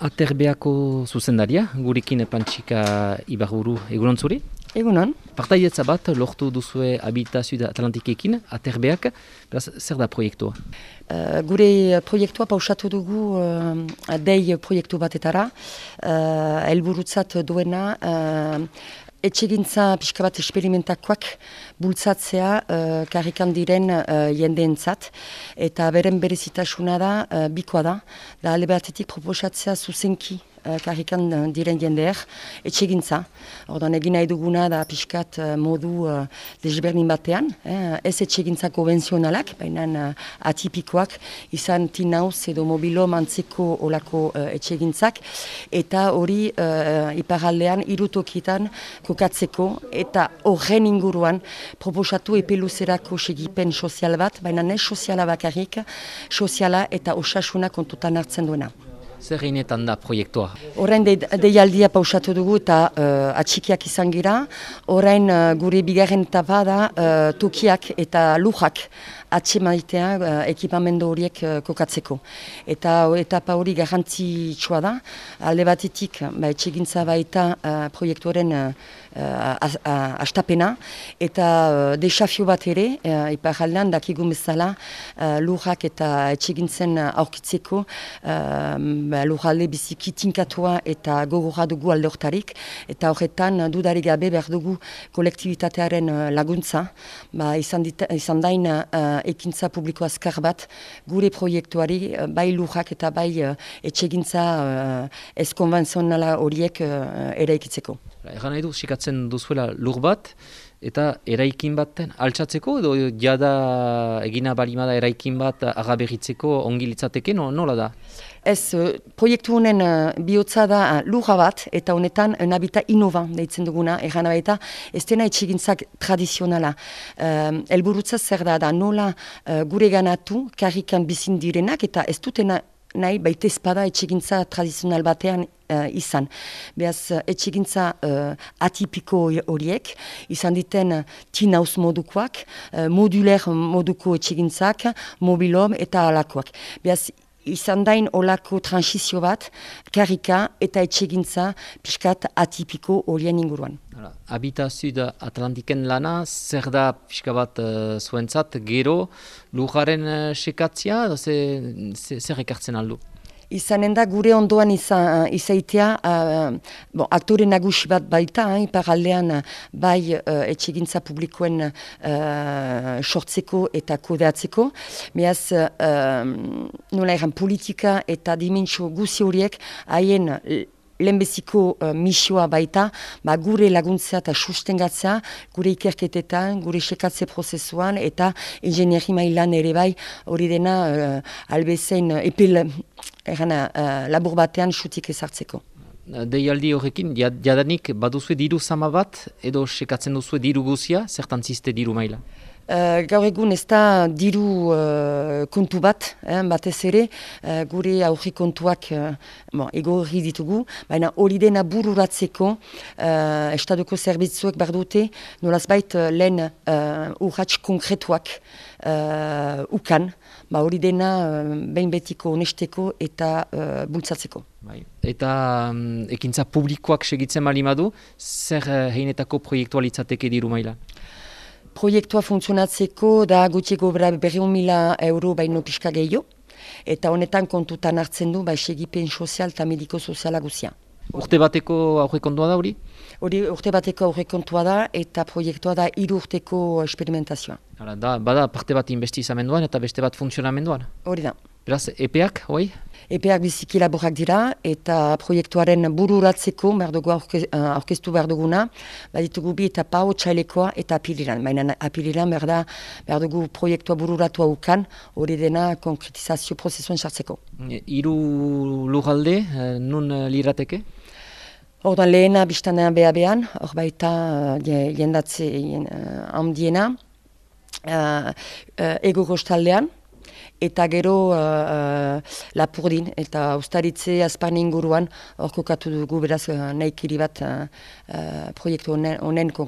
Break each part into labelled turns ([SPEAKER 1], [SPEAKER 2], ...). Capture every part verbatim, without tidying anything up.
[SPEAKER 1] Aterbeako zuzendaria, gurekin Pantxika Ibarburu, egunon zuri?
[SPEAKER 2] Egunon.
[SPEAKER 1] Partaietza bat lortu duzue Habitazio Atlantikekin, Aterbeak, beraz, zer da proiektua?
[SPEAKER 2] Uh, gure proiektua pausatu dugu uh, dei proiektu batetara, uh, helburutzat duena, uh, etxegintza pixka bat esperimentakoak bultzatzea uh, karrikan diren uh, jendeentzat, eta beren berezitasuna da, uh, bikoa da, da alde batetik proposatzea zuzenki uh, karrikan diren jendeer, etxegintza. Ordan egin nahi duguna da pixkat uh, modu uh, desberdin batean, eh, ez etxegintza konvenzionalak, baina uh, atipikoak, izan tinauz edo mobilo mantzeko olako uh, etxegintzak, eta hori uh, iparaldean irutokitan kokatzeko, eta horren inguruan proposatu epeluzerako segipen sozial bat, baina ez soziala bakarrik, soziala eta osasuna kontutan hartzen duena.
[SPEAKER 1] Zer heinetan da proiektua?
[SPEAKER 2] Orain de, deialdia pausatu dugu eta uh, atxikiak izan gira. Orain uh, gure bigarren etapa da uh, tokiak eta lujak atxemaitea uh, ekipamendu horiek uh, kokatzeko. Eta etapa hori garrantzitsua da. Alde batetik, ba, etxegintza baita uh, proiektuaren uh, uh, astapena. Eta uh, desafio bat ere, uh, iparaldean dakigun bezala, uh, lujak eta etxegintzen aurkitzeko uh, lurralde biziki tinkatua eta gogorra dugu alde hortarik, eta horretan dudarik gabe behar dugu kolektibitatearen laguntza, ba, izan, dita, izan dain uh, ekintza publiko azkar bat gure proiektuari uh, bai lurrak eta bai uh, etxegintza uh, ez konvenzionala horiek uh, eraikitzeko.
[SPEAKER 1] Egan nahi du, sikatzen duzuela lur bat, eta eraikin baten altxatzeko, edo jada egina balimada eraikin bat agaberritzeko ongi litzateke, no, nola da?
[SPEAKER 2] Ez, proiektu honen uh, bihotza da uh, lurra bat, eta honetan un habitat innovan deitzen duguna, erran abaita, ez dena etxegintzak tradizionala. Uh, Elburutza zer da, da nola uh, gure ganatu, karrikan bizin direnak, eta ez dutena nahi baita espada etxegintza tradizional batean uh, izan. Beaz, etxegintza uh, atipiko horiek, izan diten uh, tinauz modukoak, uh, moduler moduko etxegintzak, mobilom eta alakoak. Beaz, izan dain olako transizio bat, karrika eta etxegintza pixkat atipiko horien inguruan.
[SPEAKER 1] Habitazio Atlantiken lana, zer da pixka bat uh, zuentzat, gero lujaren uh, sekatzia, zer ekartzen aldu?
[SPEAKER 2] Izanen da gure ondoan iza, izaitea, uh, bon, aktore nagusi bat baita, eh, iparaldean bai uh, etxegintza publikoen uh, sortzeko eta kodeatzeko. Beaz, uh, nola egan politika eta dimentsio guzi horiek haien lehenbeziko uh, misioa baita, ba, gure laguntzea eta sustengatzea, gure ikerketetan, gure sekatze prozesuan eta ingenieri mailan ere bai, hori dena uh, albezein uh, epel erana, uh, labur batean sutik ezartzeko.
[SPEAKER 1] Deialdi horrekin, jadanik baduzue diru zama bat, edo sekatzen duzue diru guzia, zertan ziste diru maila?
[SPEAKER 2] Uh, gaur egun ez da diru uh, kontu bat, eh, batez ere, uh, gure aurri kontuak uh, bon, egorri ditugu, baina hori dena bururatzeko uh, estaduko zerbitzuek behar dute, nolazbait uh, lehen uh, urratx konkretuak uh, ukan, ba, hori dena uh, behin betiko honesteko eta uh, bultzatzeko.
[SPEAKER 1] Bai. Eta um, ekintza publikoak segitzen balimadu, zer uh, heinetako proiektualitzateke diru maila?
[SPEAKER 2] Proiektua funtzionatzeko da gutxiego berreun mila euro baino pixka gehiago, eta honetan kontutan hartzen du ba, segipen sozial eta mediko soziala guzia.
[SPEAKER 1] Urte bateko aurrekontua da hori?
[SPEAKER 2] Hori urte bateko aurrekontua da eta proiektua da hiru urteko experimentazioa.
[SPEAKER 1] Hala, da, bada parte bat investizamenduan eta beste bat funtzionamenduan?
[SPEAKER 2] Hori da.
[SPEAKER 1] Beraz, epeak, hoi?
[SPEAKER 2] Epeak biziki laborak dira eta proiektuaren bururatzeko behar dugu aurkeztu behar duguna, baditugu bi eta pau txailekoa eta apiliran. Baina apiliran behar, da, behar dugu proiektua bururatu haukan, hori dena konkretizazio prozesuan sartzeko.
[SPEAKER 1] Hiru lurralde, nun lirateke?
[SPEAKER 2] Ordan lehena biztanean beha-behan, hor baita jendatze handiena, uh, uh, ego kostaldean, eta gero uh, uh, Lapurdin eta Uztaritze Azparne inguruan hor kokatu dugu beraz uh, nahikiri bat uh, uh, proiektu honen uh,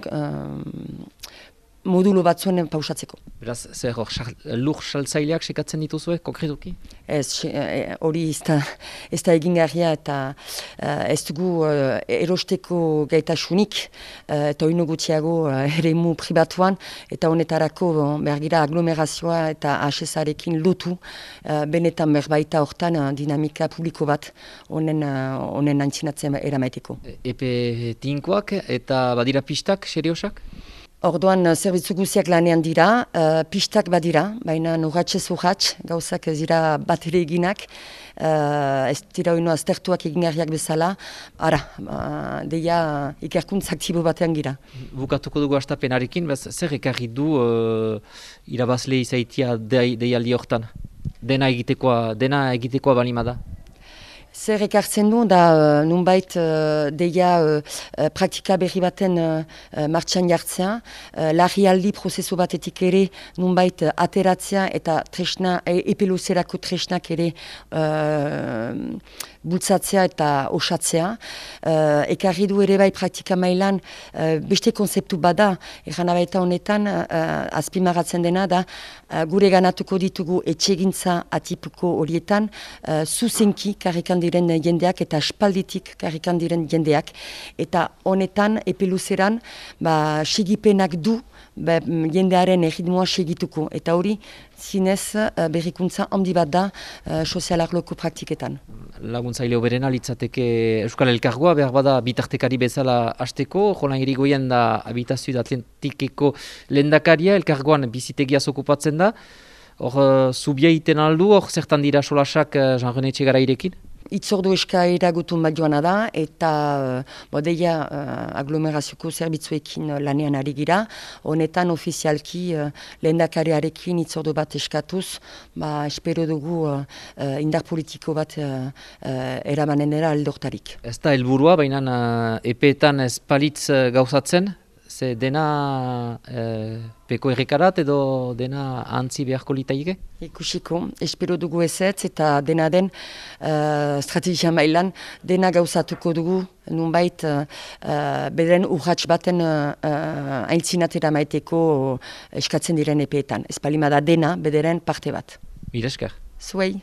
[SPEAKER 2] modulo batzuen pausatzeko.
[SPEAKER 1] Beraz, zer hor, lur saltzaileak sekatzen dituzue, konkretuki?
[SPEAKER 2] Ez, hori ez da, ez da egingarria eta uh, ez dugu uh, erosteko gaitasunik uh, eta oino gutxiago uh, eremu pribatuan eta honetarako uh, behar gira aglomerazioa eta H S arekin lotu uh, benetan berbaita hortan uh, dinamika publiko bat honen uh, antzinatzen eramaiteko.
[SPEAKER 1] Epe tinkoak eta badira pistak, seriosak?
[SPEAKER 2] Orduan, zerbitzu guziak lanean dira, uh, pistak badira, baina urratxez urratx, gauzak ez dira bat ere eginak, uh, ez dira oino aztertuak egingarriak bezala, ara, uh, deia ikerkuntz aktibo batean gira.
[SPEAKER 1] Bukatuko dugu astapenarekin, bez, zer ekarri du uh, irabazle izaitia deialdi hortan? Dena egitekoa, dena egitekoa balima da?
[SPEAKER 2] Zer ekartzen du, da uh, nunbait uh, deia uh, uh, praktika berri baten uh, uh, martxan jartzea, uh, larrialdi prozesu batetik ere nunbait uh, ateratzea eta tresna, e, epeluzerako tresnak ere uh, bultzatzea eta osatzea. Uh, ekarri du ere bai praktika mailan uh, beste konzeptu bada, eran abaita honetan uh, azpimaratzen dena da uh, gure ganatuko ditugu etxegintza atipuko horietan uh, zuzenki karrikan diren jendeak eta espalditik karrikan diren jendeak eta honetan epeluzeran ba, sigipenak du ba, jendearen erritmoa segituko eta hori zinez uh, berrikuntza handi bat da uh, sozialarloko praktiketan.
[SPEAKER 1] Laguntzaile hoberena litzateke Euskal Elkargoa, behar bada bitartekari bezala hasteko, Jolan Irigoyen da Habitazio Atlantikeko lehendakaria, Elkargoan bizitegiaz okupatzen da. Hor, zubia iten aldu, hor zertan dira solasak Jean-René Etxegarairekin?
[SPEAKER 2] Itzordu eskaera gutun bat joana da eta uh, deia uh, aglomerazioko zerbitzuekin uh, lanean ari gira. Honetan ofizialki uh, lehendakariarekin itzordu bat eskatuz, ba, espero dugu uh, uh, indar politiko bat uh, uh, eramanenera aldortarik.
[SPEAKER 1] Ez da helburua, baina uh, epeetan ez palitz uh, gauzatzen, ze dena uh, peko errekarat edo dena antzi beharko litaike?
[SPEAKER 2] Ikusiko, espero dugu ezetz eta dena den uh, strategia mailan dena gauzatuko dugu nunbait uh, uh, bederen urratx baten uh, aintzinatera maiteko eskatzen diren epeetan. Ez palimada dena bederen parte bat.
[SPEAKER 1] Mila esker.
[SPEAKER 2] Zuei.